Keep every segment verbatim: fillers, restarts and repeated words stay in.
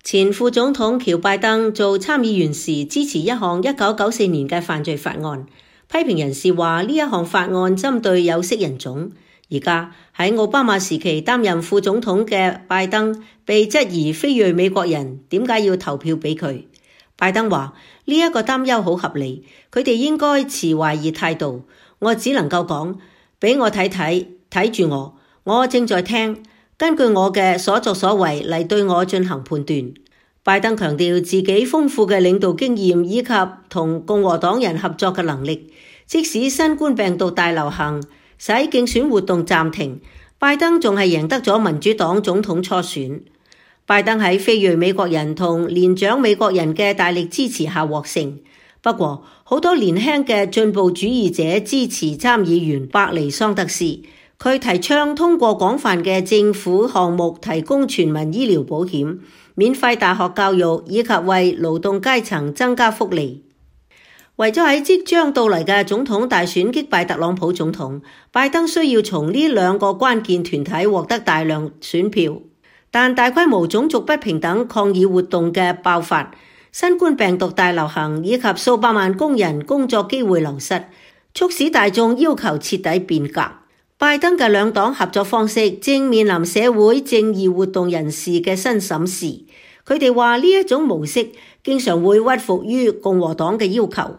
前副總統喬拜登做參議員時支持一項一九九四年嘅犯罪法案，批評人士話呢一項法案針對有色人種。而家喺奧巴馬時期擔任副總統嘅拜登被質疑非裔美國人點解要投票俾佢。拜登話呢一個擔憂好合理，佢哋應該持懷疑態度。我只能夠講，俾我睇睇，睇住我，我正在聽，根據我嘅所作所為嚟對我進行判斷。拜登強調自己豐富嘅領導經驗以及同共和黨人合作嘅能力，即使新冠病毒大流行使競選活動暫停，拜登仲係贏得咗民主黨總統初選。拜登喺非裔美國人同年長美國人嘅大力支持下獲勝。不過，好多年輕嘅進步主義者支持參議員伯尼桑德斯，佢提倡通過廣泛嘅政府項目提供全民醫療保險、免費大學教育以及為勞動階層增加福利。為咗喺即將到嚟嘅總統大選擊敗特朗普總統，拜登需要從呢兩個關鍵團體獲得大量選票。但大規模種族不平等抗議活動嘅爆發、新冠病毒大流行以及數百萬工人工作機會流失，促使大眾要求徹底變革。拜登嘅兩黨合作方式正面臨社會正義活動人士嘅新審視。佢哋話呢一種模式經常會屈服於共和黨嘅要求。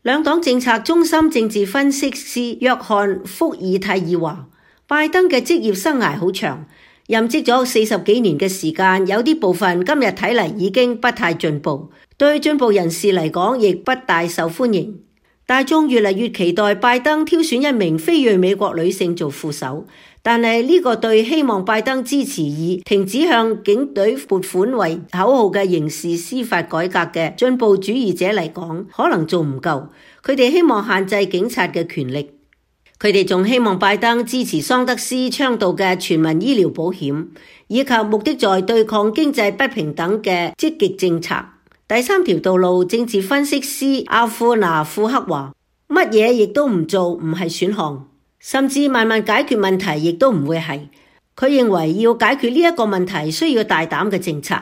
兩黨政策中心政治分析師約翰福爾泰爾話，拜登嘅職業生涯好長，任職咗四十幾年嘅時間，有啲部分今日睇嚟已經不太進步，對進步人士嚟講亦不大受歡迎。大眾越嚟越期待拜登挑選一名非裔美國女性做副手，但係呢個對希望拜登支持以停止向警隊撥款為口號嘅刑事司法改革嘅進步主義者嚟講，可能做唔夠。佢哋希望限制警察嘅權力。佢哋仲希望拜登支持桑德斯倡導嘅全民醫療保險，以及目的在對抗經濟不平等嘅積極政策。第三條道路政治分析師阿庫拿庫克話，乜嘢亦都唔做唔係選項，甚至慢慢解決問題亦都唔會係。佢認為要解決呢一個問題需要大膽嘅政策。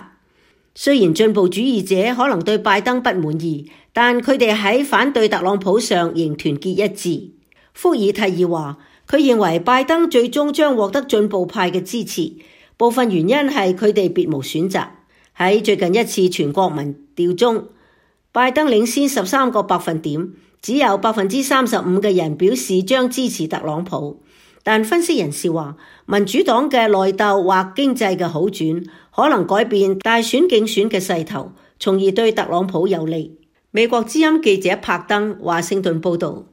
雖然進步主義者可能對拜登不滿意，但佢哋喺反對特朗普上仍團結一致。福爾泰爾話，佢認為拜登最終將獲得進步派嘅支持，部分原因係佢哋別無選擇。喺最近一次全國民調中，拜登領先十三個百分點，只有百分之三十五嘅人表示將支持特朗普。但分析人士話，民主黨嘅內鬥或經濟嘅好轉可能改變大選競選嘅勢頭，從而對特朗普有利。美國之音記者柏登華盛頓報道。